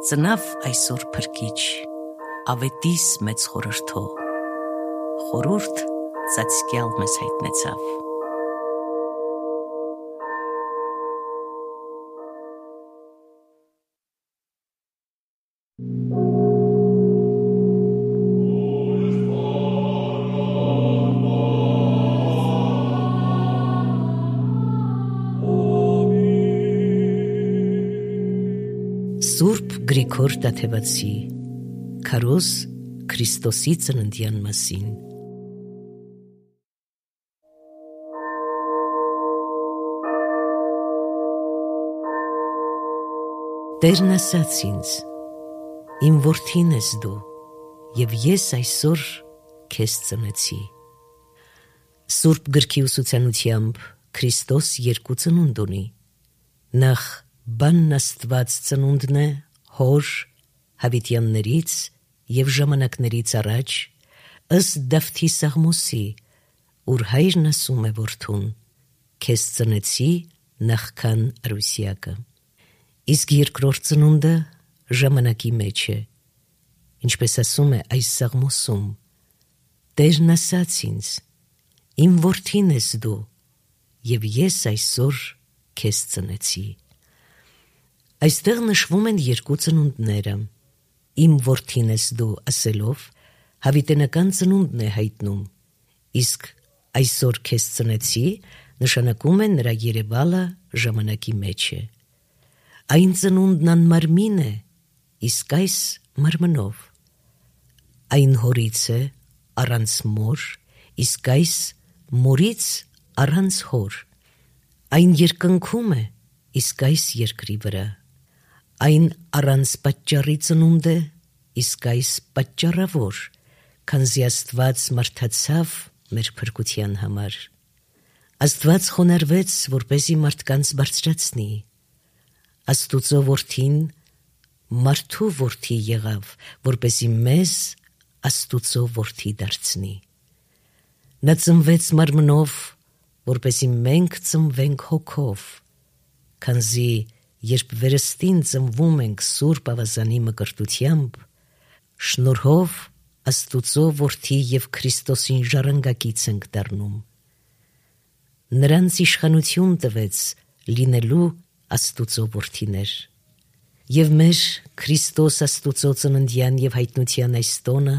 Ծնավ այսօր փրկիչ, ավետիս մեծ խորհրդով, խորհուրդ ծածկյալ մեզ հայտնեցավ։ Սուրբ Գրիգոր Տաթևացի Քարոզ Քրիստոսի ծննդյան մասին։ Տերն ասաց ինձ. իմ որդին ես դու, և ես այսօր քեզ ծնեցի։ Սուրբ գրքի ուսուցանությամբ Քրիստոս երկու ծնունդ ունի։ Նախ բանն Աստված ծնունդն է հոր հավիտյաններից և ժամանակներից առաջ, ըստ Դավթի Սաղմոսի, ուր հայրն ասում է որդուն. քեզ ծնեցի նախքան Արուսյակը։ Իսկ երկրորդ ծնունդը ժամանակի մեջ է, ինչպես ասում է այս Սաղմոսում. Տերն ասաց ինձ. իմ որդին ես դու, և ես այսօր քեզ ծնեցի։ Այստեղ նշվում են երկու ծնունդները։ Իմ որդին ես դու ասելով հավիտենական ծնունդն է հայտնում, իսկ այսօր քեզ ծնեցի նշանակում է նրա երևալը ժամանակի մեջ է։ Այն ծնունդն անմարմին է, իսկ այս մարմնով։ Այն հորից է առանց մոր, իսկ այս մորից առանց հոր։ Այն երկնքում է, իսկ այս երկրի վրա։ Այն առանց պատճառի ծնունդ է, իսկ այս պատճառավոր, քանզի Աստված մարդացավ մեր փրկության համար։ Աստված խոնարհվեց, որպեսզի մարդկանց բարձրացնի։ Աստուծո որդին մարդու որդի եղավ, որպեսզի մեզ Աստուծո որդի դարձնի։ Նա ծնվեց մարմնով, որպեսզի մենք ծնվենք հոգով, քանզի երբ վերստին ծնվում ենք Սուրբ Ավազանի մկրտությամբ, շնորհով Աստուծո որդի և Քրիստոսին ժառանգակից ենք դառնում։ Նրանց իշխանություն տվեց լինելու Աստուծո որդիներ։ Եվ մեր Քրիստոս Աստուծո ծննդյան և հայտնության այս տոնը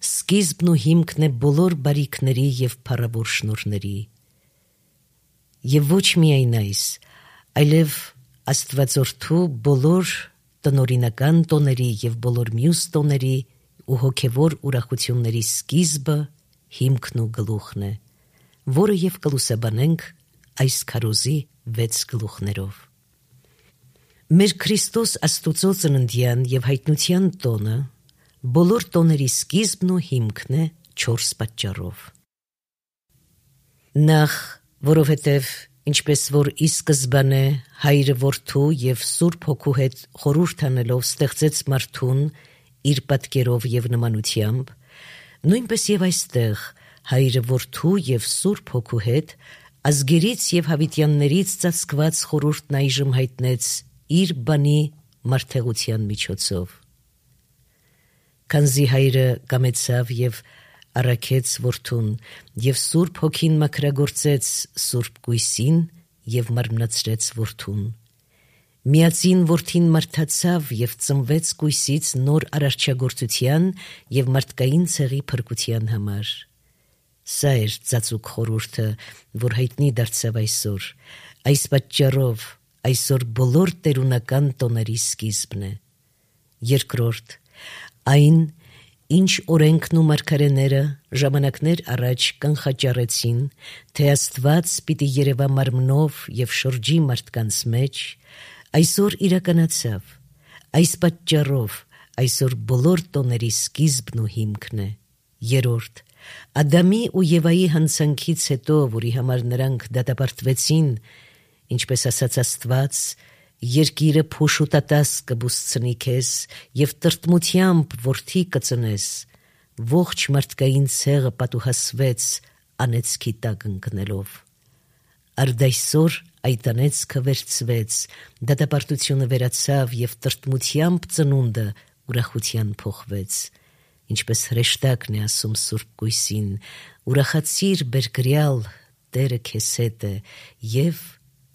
սկիզբն ու հիմքն է բոլոր բարիքների և փառավոր շնորհների։ Եվ ոչ միայն այս, այլև Աստվածորդու բոլոր տնօրինական տոների և բոլոր մյուս տոների ու հոգևոր ուրախությունների սկիզբը, հիմքն ու գլուխն է, որը և կլուսաբանենք այս քարոզի 6 գլուխներով։ Մեր Քրիստոս Աստուծո ծննդյան և հայտնության տոնը բոլոր տոների սկիզբն ու հիմքն է 4 պատճառով։ Նախ, որովհետև ինչպես որ ի սկզբանե Հայրը Որդու և Սուրբ Հոգու հետ խորհուրդ անելով ստեղծեց մարդուն իր պատկերով և նմանությամբ, նույնպես և այստեղ Հայրը Որդու և Սուրբ Հոգու հետ ազգերից և հավիտյաններից ծածկված խորհուրդն այժմ հայտնեց իր բանի մարդեղության միջոցով։ Քանզի Հայրը կամեցավ և առաքեց Որդուն, և Սուրբ Հոգին մաքրագործեց Սուրբ Կույսին և մարմնացրեց Որդուն։ Միածին Որդին մարդացավ և ծնվեց Կույսից նոր արարչագործության և մարդկային ցեղի փրկության համար։ Սա էր ծածուկ խորհուրդը, որ հայտնի դարձավ այսօր։ Այս պատճառով այսօր բոլոր տերունական տոների սկիզբն է։ Երկրորդ, այն, ինչ օրենքն ու մարգարեները ժամանակներ առաջ կանխաճառեցին, թե Աստված պիտի երևա մարմնով և շրջի մարդկանց մեջ, այսօր իրականացավ։ Այս պատճառով այսօր բոլոր տոների սկիզբն ու հիմքն է։ Երրորդ, Ադամի ու Եվայի հանցանքից հետո, որի համար նրանք դատապարտվեցին, ինչպես ասաց Աստված, երկիրը փոշուտատաս կբուսցնի քեզ և տրտմությամբ որդի կծնես, ողջ մարդկային ցեղը պատուհասվեց անեծքի տակ ընկնելով։ Արդայսօր այդ անեծքը վերցվեց, դատապարտությունը վերացավ և տրտմությամբ ծնունդը ուրախության փոխվեց։ Ինչպես հրեշտակն է ասում Սուրբ Գույսին, ուրախացիր բերգրյալ, Տերը քեզ հետ է և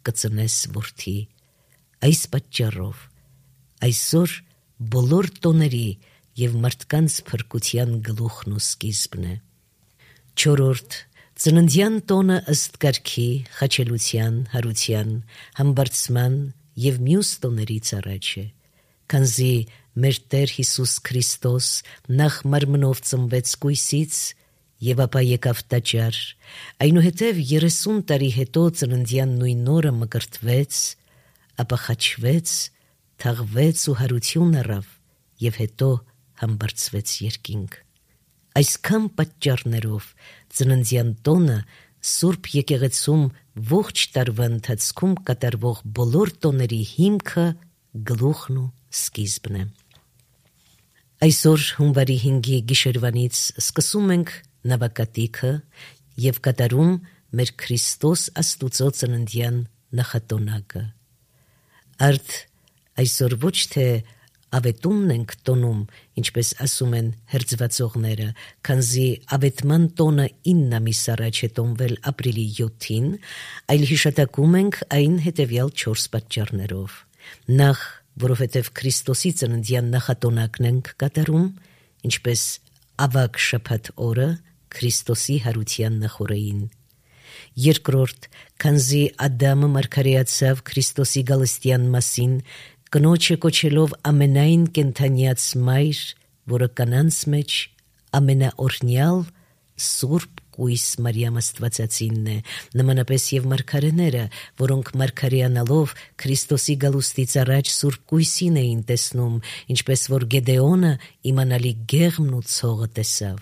կծնես որդի։ Այս պատճառով այսօր բոլոր տոների և մարդկանց փրկության գլուխն ու սկիզբն է։ 4. Ծննդյան տոնը ըստ կարգի, խաչելության, հարության, համբարձման և մյուս տոներից առաջ է, քանզի մեր Տեր Հիսուս Քրիստոս նախ մարմնով ծնվեց կույսից և ապա եկավ տաճար, այնուհետև 30 տարի հետո ծննդյան նույն օրը մկրտվեց, ապա խաչվեց, թաղվեց ու հարություն առավ և հետո համբարձվեց երկինք։ Այսքան պատճառներով ծննդյան տոնը Սուրբ եկեղեցում ողջ տարվա ընթացքում կատարվող բոլոր տոների հիմքը, գլուխն ու սկիզբն է։ Այսօր հունվարի 5-ի գիշերվանից սկսում ենք նավակատիքը և կատարում մեր Քրիստոս Աստուծո ծննդյան նախատոնակը։ Արդ այսօր ոչ թե ավետումն ենք տոնում, ինչպես ասում են հերձվածողները, քանզի ավետման տոնը 9 ամիս առաջ է տոնվել ապրիլի 7-ին, այլ հիշատակում ենք այն հետևյալ 4 պատճառներով։ Նախ, որովհետև Քրիստոսի ծննդյան նախատոնակն ենք կատարում, ինչպես ավագ շաբաթ օրը Քրիստոսի հարության նախօրեին։ Երկրորդ, քանզի Ադամը մարգարեացավ Քրիստոսի գալստյան մասին, կնոջը կոչելով ամենայն կենդանյաց մայր, որը կանանց մեջ ամենաօրհնյալ Սուրբ Կույս Մարիամ Աստվածածինն է, նմանապես և մարգարեները, որոնք մարգարեանալով Քրիստոսի գալուստից առաջ Սուրբ Կույսին էին տեսնում, ինչպես որ Գեդեոնը իմանալի գեղմն ու ցողը տեսավ։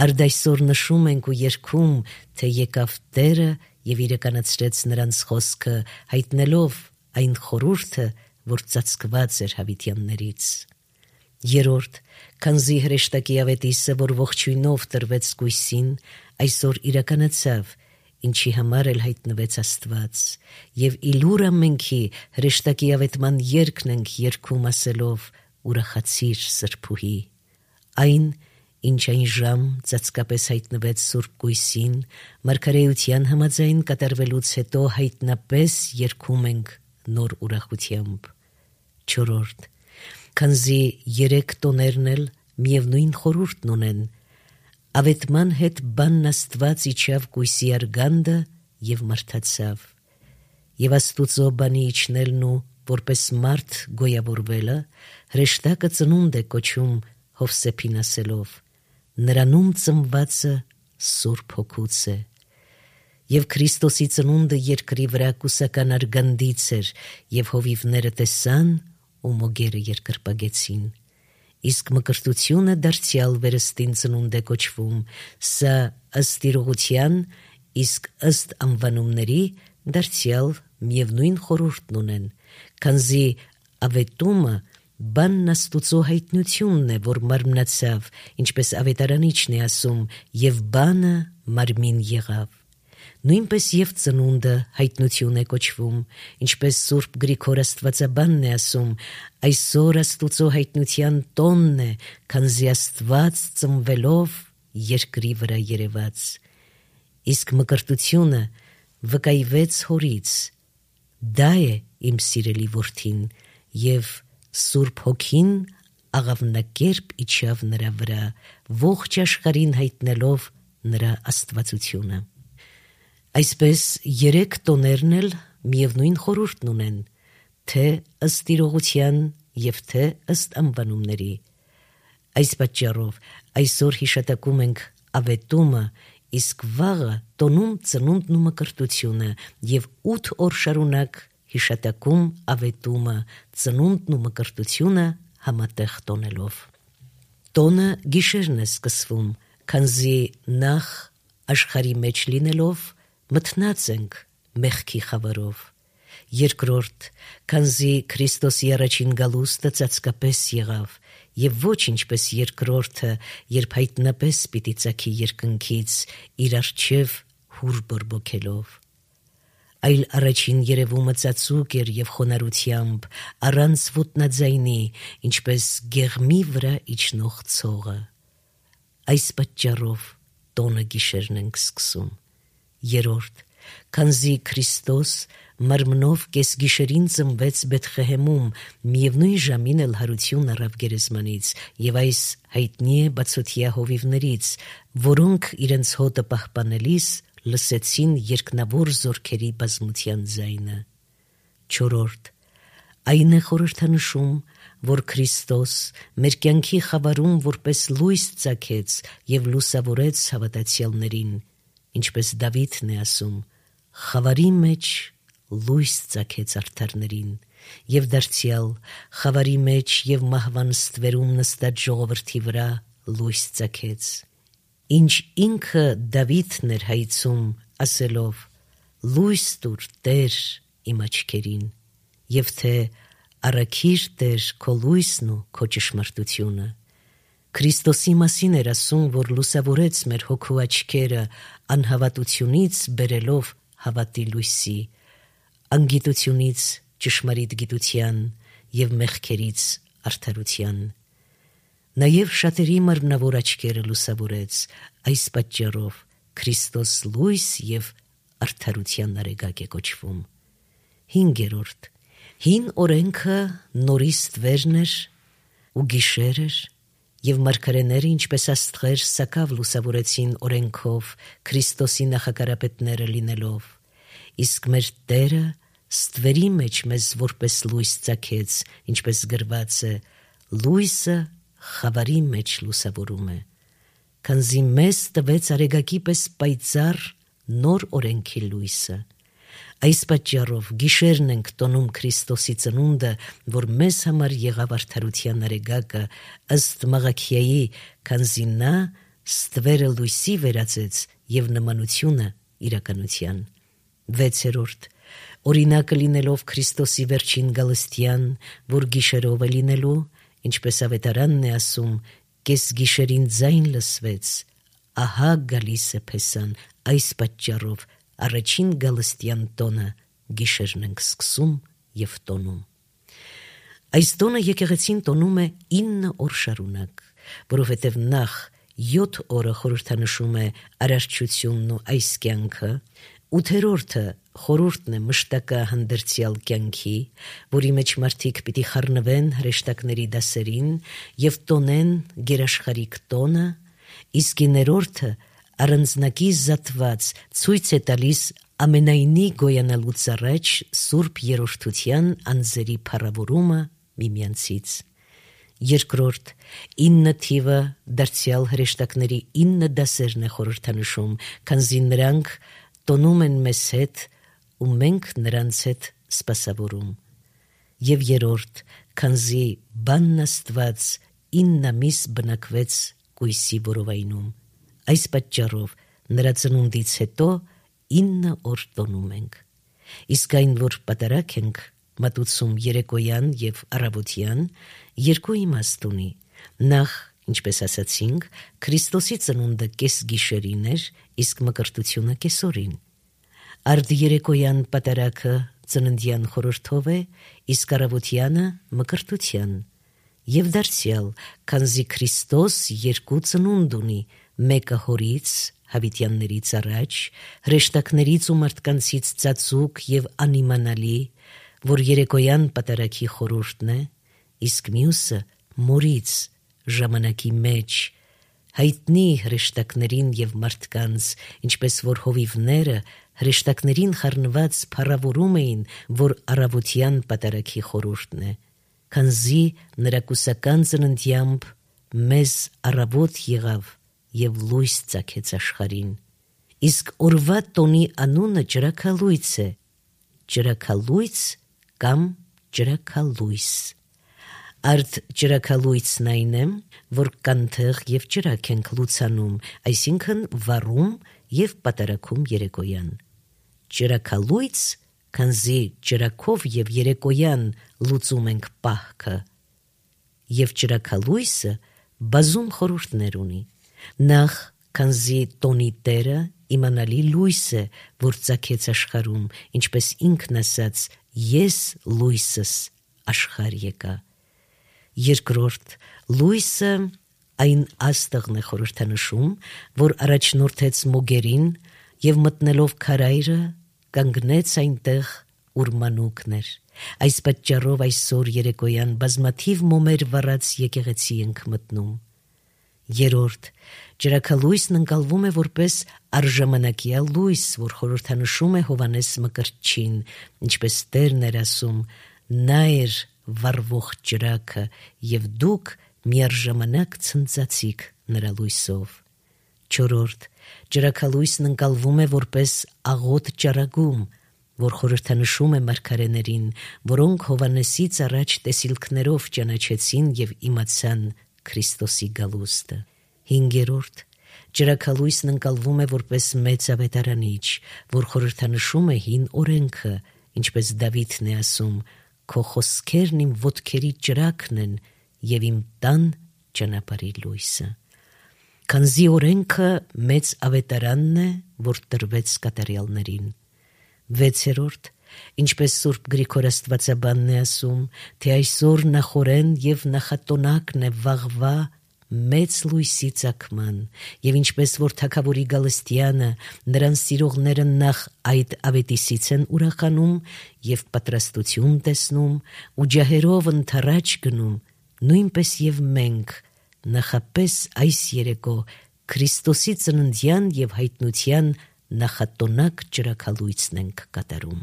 Արդ այսօր նշում ենք ու երգում, թե եկավ Տերը և իրականացրեց նրանց խոսքը, հայտնելով այն խորհուրդը, որ ծածկված էր հավիտյաններից։ Երորդ, քանզի հրեշտակի ավետիսը, որ ողջույնով տրվեց կույսին, այսօր իրականացավ, ինչի համար էլ հայտնվեց Աստված, և իլուր ամենքի հրեշտակի ավետման երգն ենք երգում ասելով ուրախացիր սրբուհի։ Այն, ինչ այն ժամ ծածկապես հայտնվեց Սուրբ Կույսին, մարգարեության համաձայն կատարվելուց հետո հայտնապես երգում ենք նոր ուրախությամբ։ Չորրորդ, քանզի 3 տոներն էլ միևնույն խորհուրդն ունեն, ավետման հետ բանն Աստված իջավ կույսի արգանդը և մարդացավ, և Աստուծո բանի իջնելն ու որպես մարդ գոյավորվելը հրեշտակը ծնունդ է կոչում Հովսեփին ասելով. նրանում ծնվածը Սուրբ Հոգուց է։ Եվ Քրիստոսի ծնունդը երկրի վրա կուսական արգանդից էր, և հովիվները տեսան ու մոգերը երկրպագեցին։ Իսկ մկրտությունը դարձյալ վերստին ծնունդ է կոչվում, սա ըստ իրողության, իսկ ըստ անվանումների դարձյալ միևնույն խորհուրդն ունեն, քանզի ավետումը բանն Աստուծո հայտնությունն է, որ մարմնացավ, ինչպես ավետարանիչն է ասում, և բանը մարմին եղավ։ Նույնպես և ծնունդը հայտնություն է կոչվում, ինչպես Սուրբ Գրիգոր Աստվածաբանն է ասում, այսօր Աստուծո հայտնության տոնն է, քանզի Աստված ծնվելով երկրի վրա երևաց։ Իսկ մկրտությունը վկայվեց հորից, դա է իմ սիրելի որդին, և Սուրբ Հոգին աղավնակերպ իջավ նրա վրա, ողջ աշխարհին հայտնելով նրա աստվածությունը։ Այսպես 3 տոներն էլ միևնույն խորհուրդն ունեն, թե ըստ իրողության և թե ըստ անվանումների։ Այս պատճառով այսօր հիշատակում ենք ավետումը, իսկ վաղը տոնում ծնունդն ու մկրտությունը և 8 օր շարունակ հիշատակում ավետումը, ծնունդն ու մկրտությունը համատեղ տոնելով։ Տոնը գիշերն է սկսվում, քանզի նախ աշխարհի մեջ լինելով մթնած ենք մեղքի խավարով։ Երկրորդ, քանզի Քրիստոսի առաջին գալուստը ծածկապես եղավ, և ոչ ինչպես երկրորդը, երբ հայտնապես պիտի ծագի երկնքից իր առջև հուր բորբոքելով։ Այլ առաջին երևումը ծածուկ էր և խոնարհությամբ, առանց ոտնաձայնի, ինչպես գեղմի վրա իջնող ցողը։ Այս պատճառով տոնը գիշերն ենք սկսում։ Երրորդ, քանզի Քրիստոս մարմնով կեսգիշերին ծնվեց Բեթխեհեմում, միևնույն ժամին էլ հարություն առավ գերեզմանից, և այս հայտնի է բացօթյա հովիվներից, որոնք իրենց հոտը պահպանելիս լսեցին երկնավոր զորքերի բազմության ձայնը։ Չորրորդ, այն է խորհրդանշում, որ Քրիստոս մեր կյանքի խավարում որպես լույս ծագեց և լուսավորեց հավատացյալներին, ինչպես Դավիթն է ասում. «Խավարի մեջ լույս ծագեց արդարներին», և դարձյալ խավարի մեջ և մահվան ստվերում նստած ժողովրդի վրա լույս ծագեց։ Ինչ ինքը Դավիթն էր հայցում, ասելով. «Լույս տուր, Տեր, իմ աչքերին», և թե «Առաքիր, Տեր, քո լույսն ու քո ճշմարտությունը»։ Քրիստոսի մասին էր ասում, որ լուսավորեց մեր հոգու աչքերը, անհավատությունից բերելով հավատի լույսի, անգիտությունից ճշմարիտ գիտության և մեղքերից արդարության։ Նաև շատերի մարմնավոր աչքերը լուսավորեց, այս պատճառով Քրիստոս լույս և արդարության արեգակ է կոչվում։ Հինգերորդ, հին օրենքը նորի ստվերն էր ու գիշեր էր, և մարգարեները, ինչպես աստղեր, սակավ լուսավորեցին օրենքով Քրիստոսի նախակարապետները լինելով, իսկ մեր Տերը ստվերի մեջ մեզ որպես լույս ծագեց, ինչպես գրված է. «Լույսը խավարի մեջ լուսավորում է», քանզի մեզ տվեց արեգակի պես պայծառ նոր օրենքի լույսը։ Այս պատճառով գիշերն ենք տոնում Քրիստոսի ծնունդը, որ մեզ համար եղավ արդարության արեգակը, ըստ Մաղաքիայի, քանզի նա ստվերը լույսի վերածեց և նմանությունը իրականության։ Վեցերորդ, օրինակը լինելով Քրիստոսի վերջին գալստյան, որ գիշերով է լինելու, ինչպես ավետարանն է ասում. «Կեսգիշերին ձայն լսվեց, ահա գալիս է Փեսան», այս պատճառով առաջին գալստյան տոնը գիշերն ենք սկսում և տոնում։ Այս տոնը եկեղեցին տոնում է 9 օր շարունակ, որովհետև նախ 7 օրը խորհրդանշում է արարչությունն ու այս կյանքը, 8-րդը խորհուրդն է մշտակա հանդերձյալ կյանքի, որի մեջ մարդիկ պիտի խառնվեն հրեշտակների դասերին և տոնեն գերաշխարհիկ տոնը, իսկ 9-րդը առանձնակի զատված ցույց է տալիս ամենայնի գոյանալուց առաջ Սուրբ Երրորդության անձերի փառավորումը միմյանցից։ Երկրորդ, 9 թիվը դարձյալ հրեշտակների 9 դասերն է խորհրդանշում, քանզի նրանք տոնում են մեզ հետ ու մենք նրանց հետ սպասավորում։ Եվ երրորդ, քանզի բանն Աստված 9 ամիս բնակվեց կույսի որովայնում, այս պատճառով նրա ծնունդից հետո 9 օր տոնում ենք։ Իսկ այն, որ պատարագ ենք մատուցում երեկոյան և առավոտյան, երկու իմաստ ունի։ Նախ, ինչպես ասացինք, Քրիստոսի ծնունդը կեսգիշերին էր, իսկ մկրտությունը կեսօրին։ Արդերեկոյան պատարագը ծննդյան խորհրդով է, իսկ առավոտյանը մկրտության։ Եվ դարձյալ, քանզի Քրիստոս երկու ծնունդ ունի, մեկը հորից, հավիտյաններից առաջ, հրեշտակներից ու մարդկանցից ծածուկ և անիմանալի, որ երեկոյան պատարագի խորհուրդն է, իսկ մյուսը մորից, ժամանակի մեջ, հայտնի հրեշտակներին և մարդկանց, ինչպես որ հովիվները հրեշտակներին խառնված փառավորում էին, որ առավոտյան պատարագի խորհուրդն է, քանզի նրա կուսական ծննդյամբ մեզ առավոտ եղավ և լույս ծագեց աշխարհին։ Իսկ օրվա տոնի անունը ճրագալույց է, ճրագալույց կամ ճրագալույս։ Արդ ճրագալույցն այն է, որ կանթեղ և ճրագ ենք լուծանում, այսինքն վառում և պատարագում երեկոյան։ Ճրագալույց, քանզի ճրագով և երեկոյան լուծում ենք պահքը, և ճրագալույսը բազում խորհուրդներ ունի։ Նախ, քանզի տոնի տերը իմանալի լույս է, որ ծագեց աշխարհում, ինչպես ինքն ասաց. «Ես լույսս աշխարհ եկա»։ Երկրորդ, լույսը այն աստղն է խորհրդանշում, որ առաջնորդեց մոգերին եւ մտնելով քարայրը կանգնեց այնտեղ, ուր մանուկն էր։ Այս պատճառով այսօր երեկոյան բազմաթիվ մոմեր վառած եկեղեցի ենք մտնում։ Երրորդ, ջրաքալույսն ընկալվում է որպես արժամանակյա լույս, որ խորհրդանշում է Հովհաննես Մկրտչին, ինչպես Տերն էր ասում. «Նա էր վառվող ջրակը, եւ դուք միառժամանակ ցնծացիք նրա լույսով»։ Չորրորդ, ջրաքալույսն ընկալվում է որպես աղոտ ճառագում, որ խորհրդանշում է մարգարեներին, որոնք Հովհաննեսից առաջ տեսիլքներով ճանաչեցին եւ իմացան Քրիստոսի գալուստը։ Հինգերորդ, ջրաքալույսն ընկալվում է որպես մեծ ավետարանիչ, որ խորհրդանշում է հին օրենքը, ինչպես Դավիթն է ասում. «Քո խոսքերն իմ ոտքերի ջրակն են եւ իմ տան ճանապարհի լույսը»։ Քանզի օրենքը մեծ ավետարանն է, որ տրվեց կատարյալներին։ Վեցերորդ, ինչպես Սուրբ Գրիգոր Աստվածաբանն է ասում, թե այսօր նախորեն եւ նախատոնակն է վաղվա մեծ լույսի ծագման, եւ ինչպես որ թագավորի գալստյանը նրան սիրողները նախ այդ ավետիսից են ուրախանում եւ պատրաստություն տեսնում ու ջահերով ընթառաջ գնում, նույնպես եւ մենք նախապես այս երեկո Քրիստոսի ծննդյան եւ հայտնության նախատոնակ ջրաքալույցն ենք կատարում։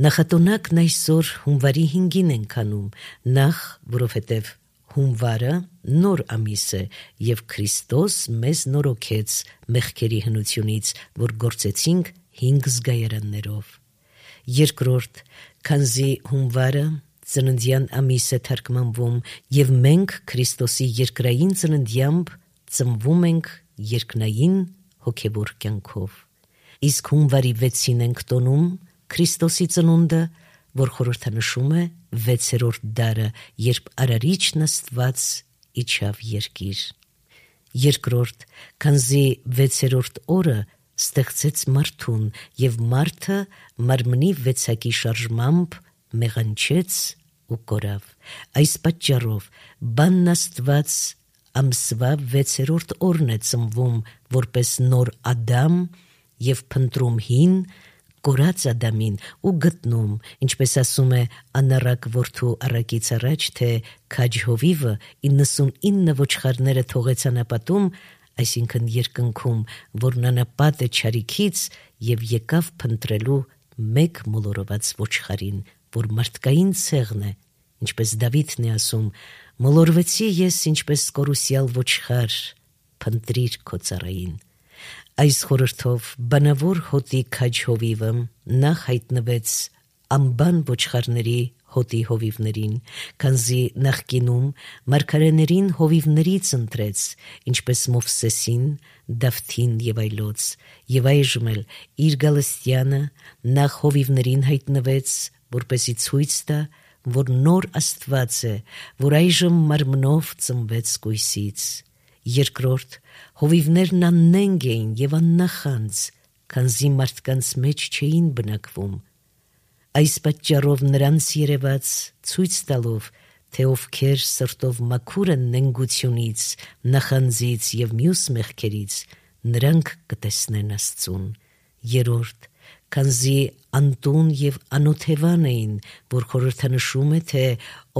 Նախատոնակն այսօր հունվարի 5-ին ենք անում, նախ որովհետև հունվարը նոր ամիս է եւ Քրիստոս մեզ նորոգեց մեղքերի հնությունից, որ գործեցինք 5 զգայարաններով։ Երկրորդ, քանզի հունվարը ծննդյան ամիս է թարգմանվում եւ մենք Քրիստոսի երկրային ծննդյամբ ծնվում ենք երկնային հոգևոր կյանքով։ Իսկ հունվարի 6-ին ենք տոնում Քրիստոսի ծնունդը, որ խորհրդանշում է 6-րդ դարը, երբ Արարիչն Աստված իջավ երկիր։ Երկրորդ, քանզի 6-րդ օրը ստեղծեց մարդուն եւ մարդը մարմնի վեցակի շարժմամբ մեղանչեց ու կորավ։ Այս պատճառով բանն Աստված ամսվա 6-րդ օրն է ծնվում որպես նոր Ադամ եւ փնտրում հին կորած Ադամին ու գտնում, ինչպես ասում է անառակ որդու առակից առաջ, թե քաջ հովիվը 99 ոչխարները թողեց անապատում, այսինքն երկնքում, որն անապատ է չարիքից եւ եկավ փնտրելու մեկ մոլորված ոչխարին, որ մարդկային ցեղն է, ինչպես Դավիթն է ասում. «Մոլորվեցի ես ինչպես կորուսյալ ոչխար, փնտրիր քո ծառային»։ Այս խորհրդով բանավոր հոտի քաջ հովիվը նախ հայտնվեց անբան ոչխարների հոտի հովիվներին, քանզի նախկինում մարգարեներին հովիվներից ընտրեց, ինչպես Մովսեսին, Դավթին եւ այլոց, եւ այժմ էլ իր գալստյանը նախ հովիվներին հայտնվեց, որպեսի ցույց տա, որ նոր Աստված է, որ այժմ մարմնով ծնվեց կույսից։ Երկրորդ, հովիվներն աննենգ էին եւ աննախանձ, քանզի մարդկանց մեջ չէին բնակվում։ Այս պատճառով նրանց երևաց ցույց տալով, թե ովքեր սրտով մաքուր են նենգությունից, նախանձից եւ մյուս մեղքերից, նրանք կտեսնեն Աստծուն։ Երրորդ, քանզի անտուն եւ անօթևան էին, որ խորհրդանշում է, թե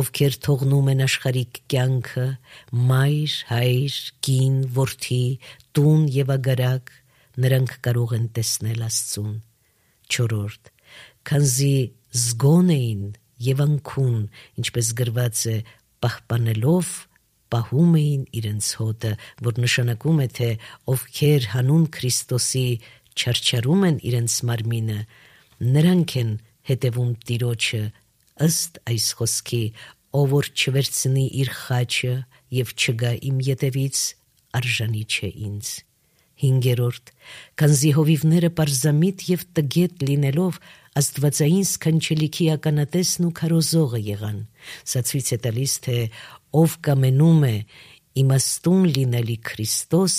ովքեր թողնում են աշխարհիկ կյանքը, մայր, հայր, կին, որդի, տուն եւ ագարակ, նրանք կարող են տեսնել Աստծուն։ Չորրորդ, քանզի զգոն էին եւ անքուն, ինչպես գրված է, պահպանելով պահում էին իրենց հոտը, որ նշանակում է, թե ովքեր հանուն Քրիստոսի չարչարում են իրենց մարմինը, նրանք են հետևում Տիրոջը, ըստ այս խոսքի, ով որ չվերցնի իր խաչը եւ չգա իմ ետևից, արժանի չէ ինձ։ Հինգերորդ, քանզի հովիվները պարզամիտ եւ տգետ լինելով աստվածային սքանչելիքի ականատեսն ու քարոզողը եղան, սա ցույց է տալիս, թե ով կամենում է իմաստուն լինելի Քրիստոս,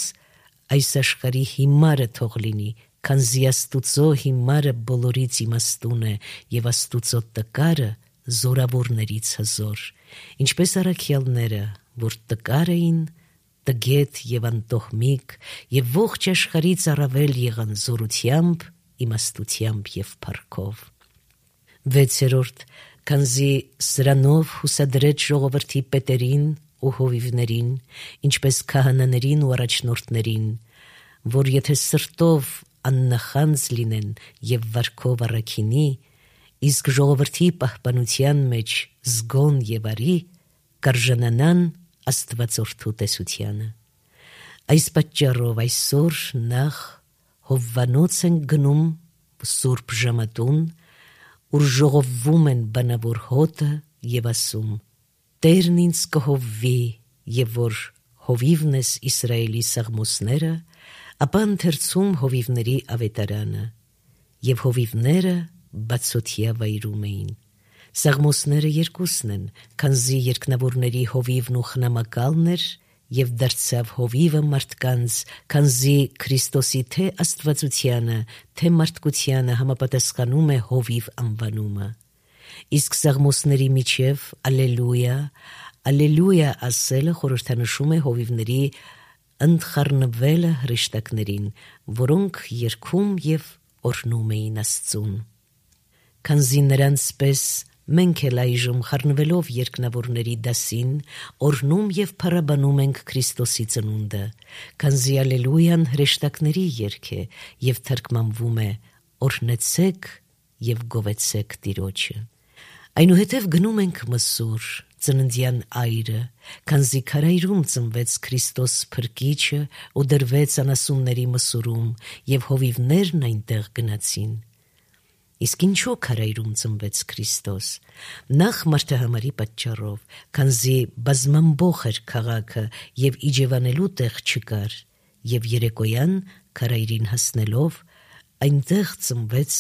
այս աշխարհի հիմարը թող լինի, քանզի Աստուծո հիմարը բոլորից իմաստուն է, եւ Աստուծո տկարը զորավորներից հզոր, ինչպես առաքյալները, որ տկար էին, տգետ եւ անտոհմիկ, եւ ողջ աշխարհից առավել եղան զորությամբ, իմաստությամբ եւ փառքով։ 6. Քանզի սրանով հուսադրեց ժողովրդի պետերին ու հովիվներին, ինչպես քահանաներին ու առաջնորդներին, որ եթե սրտով աննախանձ լինեն եւ վարքով առաքինի, իսկ ժողովրդի պահպանության մեջ զգոն եւ արի, կարժանանան Աստվածորդու տեսությանը։ Այս պատճառով այսօր նախ Հովվանոց են գնում Սուրբ Ժամատուն, ուր ժողովվում են բանավոր հոտը եւ ասում. Տերն ինձ կհովվի, եւ որ հովիվն ես Իսրայելի սաղմոսները, ապա ընթերցում հովիվների ավետարանը, եւ հովիվները բացօթյա վայրում էին։ Սաղմոսները երկուսն են, քանզի երկնավորների հովիվն ու խնամակալն էր, եւ դարձավ հովիվը մարդկանց, քանզի Քրիստոսի թե աստվածությանը, թե մարդկությանը համապատասխանում է հովիվ անվանումը։ Իսկ սաղմոսների միջև ալելույա, ալելույա ասելը խորհրդանշում է հովիվների ընդխառնվելը հրեշտակներին, որոնք երգում եւ օրհնում էին Աստծուն։ Քանզի նրանց պես մենք էլ այժմ խառնվելով երկնավորների դասին օրհնում եւ փառաբանում ենք Քրիստոսի ծնունդը, քանզի ալելույան հրեշտակների երգ է եւ թարգմանվում է օրհնեցեք եւ գովեցեք Տիրոջը։ Այնուհետև գնում ենք Մսուր, ծննդյան այրը, քանզի քարայրում ծնվեց Քրիստոս Փրկիչը ու դրվեց անասունների Մսուրում, եւ հովիվներն այնտեղ գնացին։ Իսկ ինչու քարայրում ծնվեց Քրիստոս։ Նախ մարդահամարի պատճառով, քանզի բազմամբող էր քաղաքը եւ իջևանելու տեղ չկար, եւ երեկոյան քարայրին հասնելով այնտեղ ծնվեց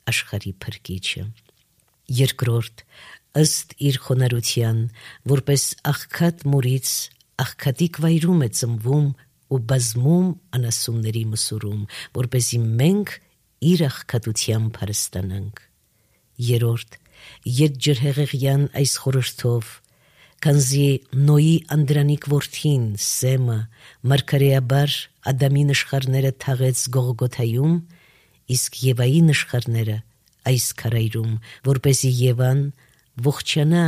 աշխարհի Փրկիչը։ Երկրորդ, ըստ իր խոնարհության, որպես աղքատ մորից աղքատիկ վայրում է ծնվում ու բազմում անասունների Մսուրում, որպեսզի մենք իր աղքատությամբ հարստանանք։ Երորդ, ետջրհեղեղյան այս խորհրդով, քանզի Նոյի անդրանիկ որդին Սեմը մարգարեաբար Ադամի նշխարները թաղեց Գողգոթայում, իսկ Եվայի նշխարները այս քարայրում, որպեսզի Եվան ողջանա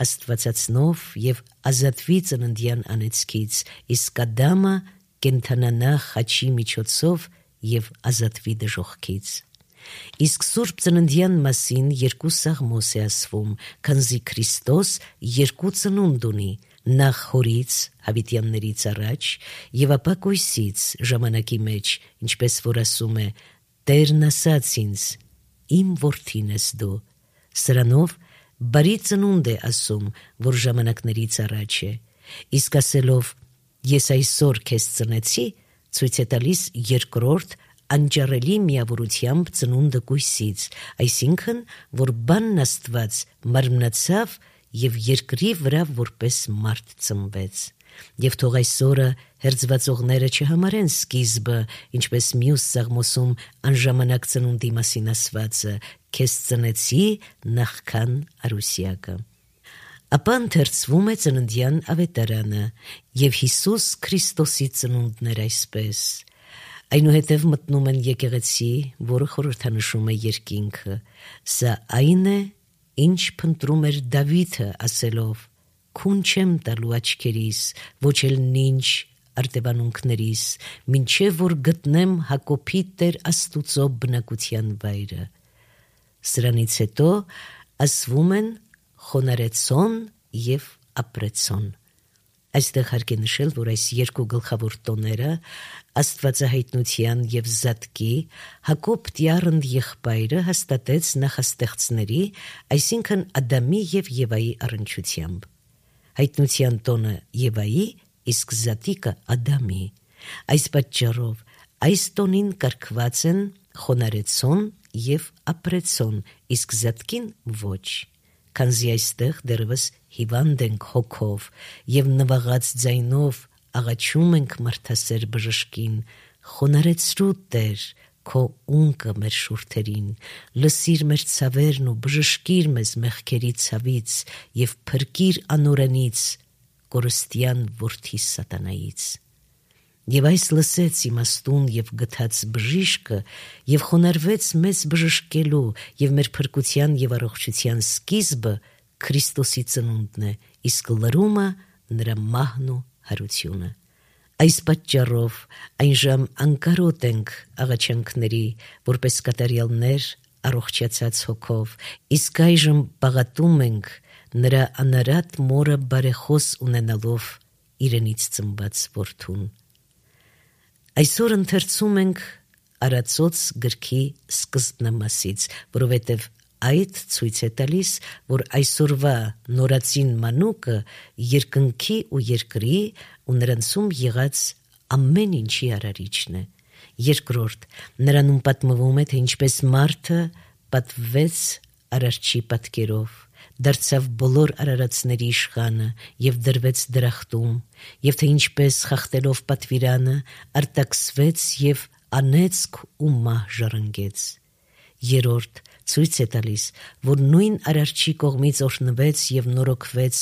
Աստվածածնով եւ ազատվի ծննդյան անեծքից, իսկ Ադամը կենթանանա խաչի միջոցով եւ ազատվի դժոխքից։ Իսկ Սուրբ ծննդյան մասին երկու սաղմոս է ասվում, քանզի Քրիստոս երկու ծնունդ ունի, նախ հորից, հավիտյաններից առաջ, եւ ապա կույսից ժամանակի մեջ, ինչպես որ ասում է. Տերն ասաց ինձ. իմ որդին ես դու։ Սրանով բարի ծնունդ է ասում, որ ժամանակներից առաջ է, իսկ ասելով ես այսօր քեզ ծնեցի, ցույց է տալիս երկրորդ անջարելի միավորությամբ ծնունդը կույսից, այսինքն, որ բանն Աստված մարմնացավ եւ երկրի վրա որպես մարդ ծնվեց։ Եվ թող այսօրը հերձվածողները չհամարեն սկիզբը, ինչպես մյուս սաղմոսում անժամանակ ծնունդի մասին ասվածը, քեզ ծնեցի նախքան արուսյակը։ Ապա ընթերցվում է ծննդյան ավետարանը եւ Հիսուս Քրիստոսի ծնունդն էր այսպես։ Այնուհետև մտնում են եկեղեցի, որը խորհրդանշում է երկինքը։ Սա այն է, ինչ փնտրում էր Դավիթը ասելով. Քուն չեմ տալու աչքերիս, ոչ էլ նինչ արտևանունքներիս, մինչև որ գտնեմ Հակոբի Տեր Աստուծո բնակության վայրը։ Սրանից հետո ասվում են խոնարեցոն եւ ապրեցոն։ Այստեղ հարկ է նշել, որ այս երկու գլխավոր տոները աստվածահայտնության եւ զատկի Հակոբ Տյառընդ եղբայրը հաստատեց նախաստեղծների, այսինքն Ադամի եւ Եվայի առնչությամբ։ Հայտնության տոնը Եվայի, իսկ զատիկը Ադամի։ Այս պատճառով այս տոնին կարգված են խոնարեցոն եւ ապրեցոն, իսկ զատկին ոչ, քանզի այստեղ դեռևս հիվանդ ենք հոգով եւ նվաղած ձայնով աղաչում ենք մարդասեր բժշկին, խոնարեցրու Տեր, քո ունկը մեր շուրթերին, լսիր մեր ցավերն ու բժշկիր մեզ մեղքերի ցավից եւ փրկիր անօրենից, կորստյան որդի սատանայից։ Եվ այս լսեց իմաստուն եւ գթած բժիշկը եւ խոնարհվեց մեզ բժշկելու եւ մեր փրկության եւ առողջության սկիզբը Քրիստոսի ծնունդն է, իսկ լրումը նրա մահն ու հարությունը։ Այս պատճառով այնժամ անկարոտ ենք աղաչանքների, որպես կատարյալներ առողջացած հոգով, իսկ այժմ բաղատում ենք նրա անարատ մորը բարեխոս ունենալով իրենից ծնված որդուն։ Այսօր ընթերցում ենք Արածոց գրքի սկզբնամասից, որովհետև այդ ցույց է տալիս, որ այսօրվա նորածին մանուկը երկնքի ու երկրի ու նրանցում եղած ամեն ինչի արարիչն է։ Երկրորդ, նրանում պատմվում է, թե ինչպես մարդը պատվեց արարչի պատկերով, դարձավ բոլոր արարածների իշխանը եւ դրվեց դրախտում, եւ թե ինչպես խախտելով պատվիրանը արտաքսվեց եւ անեծք ու մահ ժառանգեց։ Երրորդ, ցույց է տալիս, որ նույն արարչի կողմից օրհնվեց եւ նորոգվեց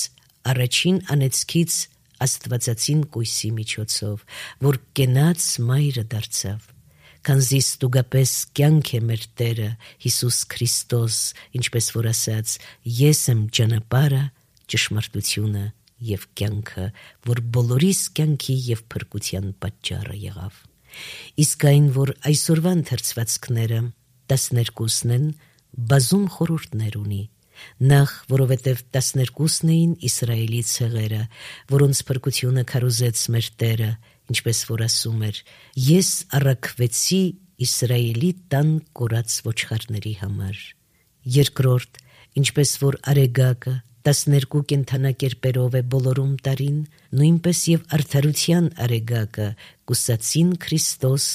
առաջին անեծքից աստվածածին կույսի միջոցով, որ կենաց մայրը դարձավ, քանզի ստուգապես կյանք է մեր Տերը Հիսուս Քրիստոս, ինչպես որ ասաց. ես եմ ճանապարհը, ճշմարտությունը եւ կյանքը, որ բոլորիս կյանքի եւ փրկության պատճառը եղավ։ Իսկ այն, որ այսօրվա ընթերցվածքները 12-ն են, բազում խորհուրդներ ունի։ Նախ, որովհետև 12-ն էին Իսրայելի ցեղերը, որոնց փրկությունը քարոզեց մեր Տերը, ինչպես որ ասում էր. ես առաքվեցի Իսրայելի տան կորած ոչխարների համար։ Երկրորդ, ինչպես որ արեգակը 12 կենդանակերպերով է բոլորում տարին, նույնպես եւ արդարության արեգակը կուսացին Քրիստոս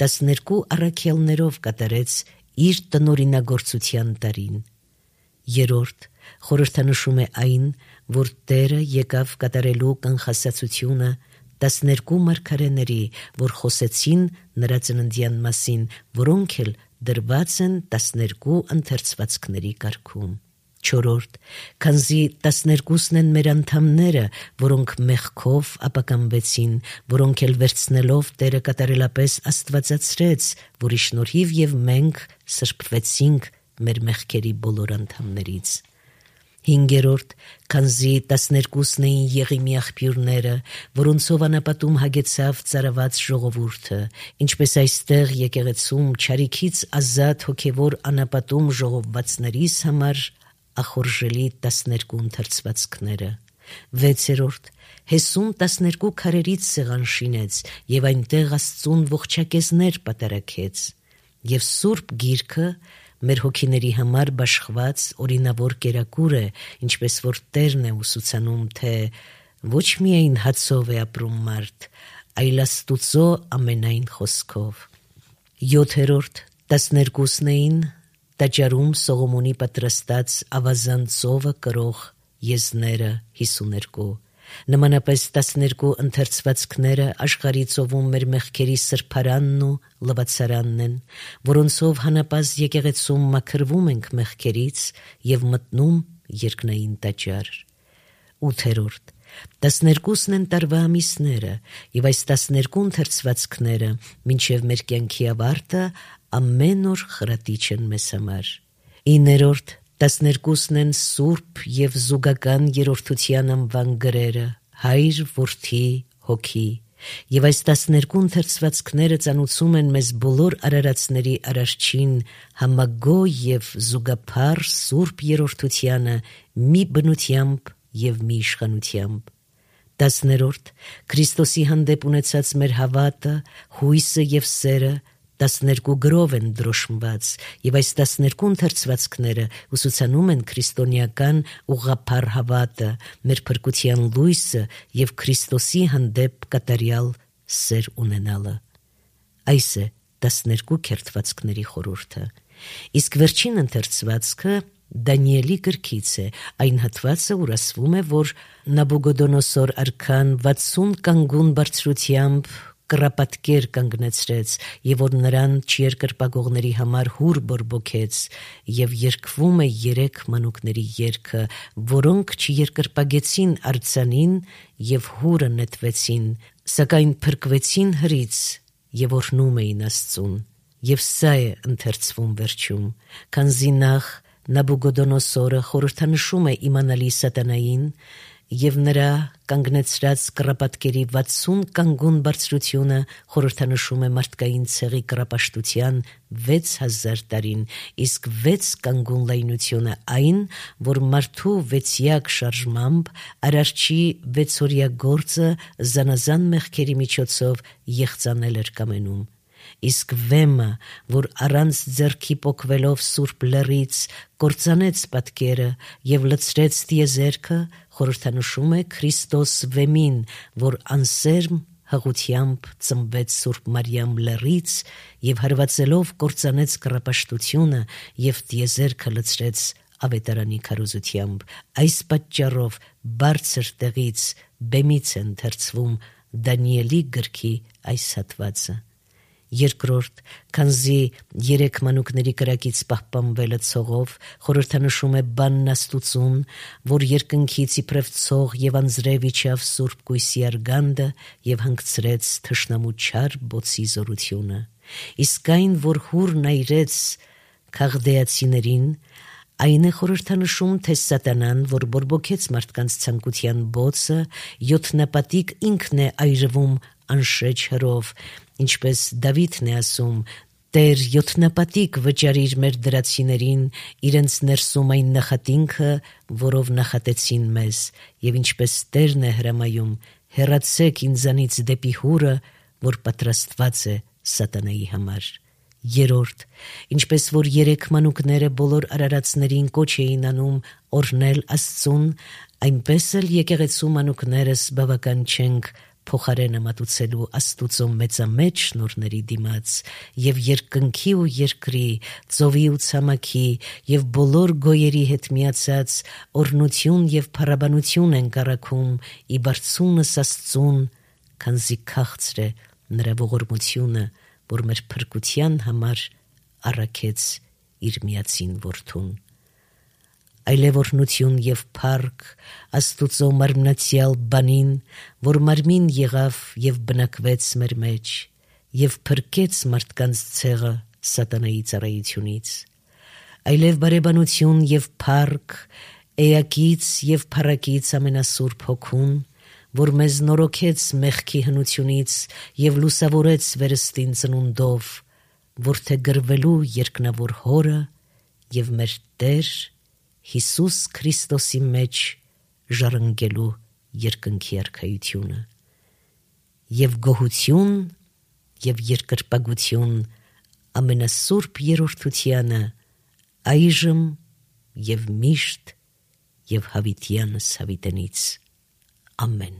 12 առաքյալներով կատարեց իր տնօրինագործության տարին։ Երրորդ, խորհրդանշում է այն, որ Տերը եկավ կատարելու կանխասացությունը 12 մարգարեների, որ խոսեցին նրա ծննդյան մասին, որոնք էլ դրված են 12 ընթերցվածքների կարգում։ Չորրորդ, քանզի 12-ն են մեր անդամները, որոնք մեղքով ապականվեցին, որոնք էլ վերցնելով Տերը կատարելապես աստվածացրեց, որի շնորհիվ եւ մենք սրբվեցինք մեր մեղքերի բոլոր անդամներից։ Հինգերորդ, քանզի 12-ն էին Եղիմի աղբյուրները, որոնցով անապատում հագեցավ ծարաված ժողովուրդը, ինչպես այստեղ եկեղեցում չարիքից ազատ հոգևոր անապատում ժողովվածներիս համար ախորժելի 12 ընթերցվածքները։ Վեցերորդ, Հեսուն 12 քարերից սեղան շինեց եւ այնտեղ Աստծուն ողջակեզներ պատարակեց։ Եվ Սուրբ Գիրքը մեր հոգիների համար բաշխված օրինավոր կերակուր է, ինչպես որ Տերն է ուսուցանում, թե ոչ միայն հացով է ապրում մարդ, այլ Աստուծո ամենայն խոսքով։ Յոթերորդ, 12-ն էին տաճարում Սողոմոնի պատրաստած ավազան ծովը կրող եզները 52։ Նմանապես 12 ընթերցվածքները աշխարհի ծովում մեր մեղքերի սրբարանն ու լվացարանն են, որոնցով հանապազդ եկեղեցում մաքրվում ենք մեղքերից եւ մտնում երկնային տաճար։ 8-րդ, 12-ն են տարվա ամիսները, եւ այս 12 ընթերցվածքները մինչեւ մեր կյանքի ավարտը ամեն օր խրատիչ են մեզ համար։ 9-րդ, 12-ն են սուրբ եւ զուգական երրորդության անվան գրերը, Հայր, Որդի, Հոգի, եւ այս 12 ընթերցվածքները ծանուցում են մեզ բոլոր արարածների արարչին համագոյ եւ զուգափառ սուրբ երրորդությանը մի բնությամբ եւ մի իշխանությամբ։ 10-րդ, Քրիստոսի հանդեպ ունեցած մեր հավատը, հույսը եւ սերը 12 գրով են դրոշմված, եւ այս 12 ընթերցվածքները ուսուցանում են քրիստոնեական ուղղափառ հավատը, մեր փրկության լույսը եւ Քրիստոսի հանդեպ կատարյալ սեր ունենալը։ Այս է 12 քերթվածքների խորհուրդը։ Իսկ վերջին ընթերցվածքը Դանիելի գրքից է, այն հատվածը, ուր ասվում է, որ Նաբուգոդոնոսոր արքան 60 կանգուն բարձրությամբ կռապատկեր կանգնեցրեց, եւ որ նրան չերկրպագողների համար հուր բորբոքեց, եւ երգվում է 3 մանուկների երգը, որոնք չերկրպագեցին արձանին եւ հուրը նետվեցին, սակայն փրկվեցին հրից եւ օրհնում էին Աստծուն։ Եվ սա է ընթերցվում վերջում, քանզի նախ Նաբուգոդոնոսորը խորհրդանշում է իմանալի սատանային եւ նրա կանգնեցրած կռապատկերի 60 կանգուն բարձրությունը խորհրդանշում է մարդկային ցեղի կռապաշտության 6000 տարին, իսկ 6 կանգուն լայնությունը այն, որ մարդու 6-յակ շարժմամբ արարչի 6-օրյա գործը զանազան մեղքերի միջոցով եղծանել էր կամենում։ Իսկ վեմը, որ առանց ձեռքի պոկվելով Սուրբ Լեռից կործանեց պատկերը եւ լցրեց տիեզերքը, խորհրդանշում է Քրիստոս վեմին, որ անսերմ հղությամբ ծնվեց Սուրբ Մարիամ Լեռից եւ հարվածելով կործանեց կռապաշտությունը եւ տիեզերքը լցրեց ավետարանի քարոզությամբ։ Այս պատճառով բարձր տեղից բեմից է ընթերցվում Դանիելի գրքի այս հատվածը։ Երկրորդ, քանզի 3 մանուկների կրակից պահպանվելը ցողով խորհրդանշում է բանն Աստուծուն, որ երկնքից իբրև ցող եւ անձրև իջավ Սուրբ Կույսի արգանդը եւ հանգցրեց թշնամու չար բոցի զորությունը։ Իսկ այն, որ հուրն այրեց քաղդեացիներին, այն է խորհրդանշում, թե սատանան, որ բորբոքեց մարդկանց ցանկության բոցը, 7 նապատիկ ինքն է այրվում անշեջ հրով, ինչպես Դավիթն է ասում. «Տեր 7 նապատիկ վճարիր մեր դրացիներին, իրենց ներսում այն նախատինքը, որով նախատեցին մեզ, եւ ինչպես Տերն է հրամայում, հեռացեք ինձանից դեպի հուրը, որ պատրաստված է սատանայի համար»։ Երորդ, ինչպես որ 3 մանուկները բոլոր արարածներին կոչ էին անում օրհնել Աստծուն, այնպես էլ եկեղեցու մանուկներս բավական չենք փոխարենը մատուցելու Աստուծո մեծամեծ շնորհների դիմաց, եւ երկնքի ու երկրի, ծովի ու ցամաքի եւ բոլոր գոյերի հետ միացած օրհնություն եւ փառաբանություն են կառաքում ի բարձունս Աստծուն, քանզի քաղցր է նրա ողորմությունը, որ մեր փրկության համար առաքեց իր միածին որդուն։ Այլևորնություն եւ փառք Աստուծո մարմնացյալ բանին, որ մարմին եղավ եւ բնակվեց մեր մեջ եւ փրկեց մարդկանց ցեղը սատանայի ծառայությունից։ Այլև բարեբանություն եւ փառք էակից եւ փառակից ամենասուրբ հոգուն, որ մեզ նորոգեց մեղքի հնությունից եւ լուսավորեց վերստին ծնունդով, որ թե գրվելու երկնավոր հորը եւ մեր Տեր Հիսուս Քրիստոսի մեջ ժառանգելու երկնքի արքայությունը եւ գոհություն եւ երկրպագություն ամենասուրբ երրորդությանը այժմ եւ միշտ եւ հավիտյանս հավիտենից ամեն։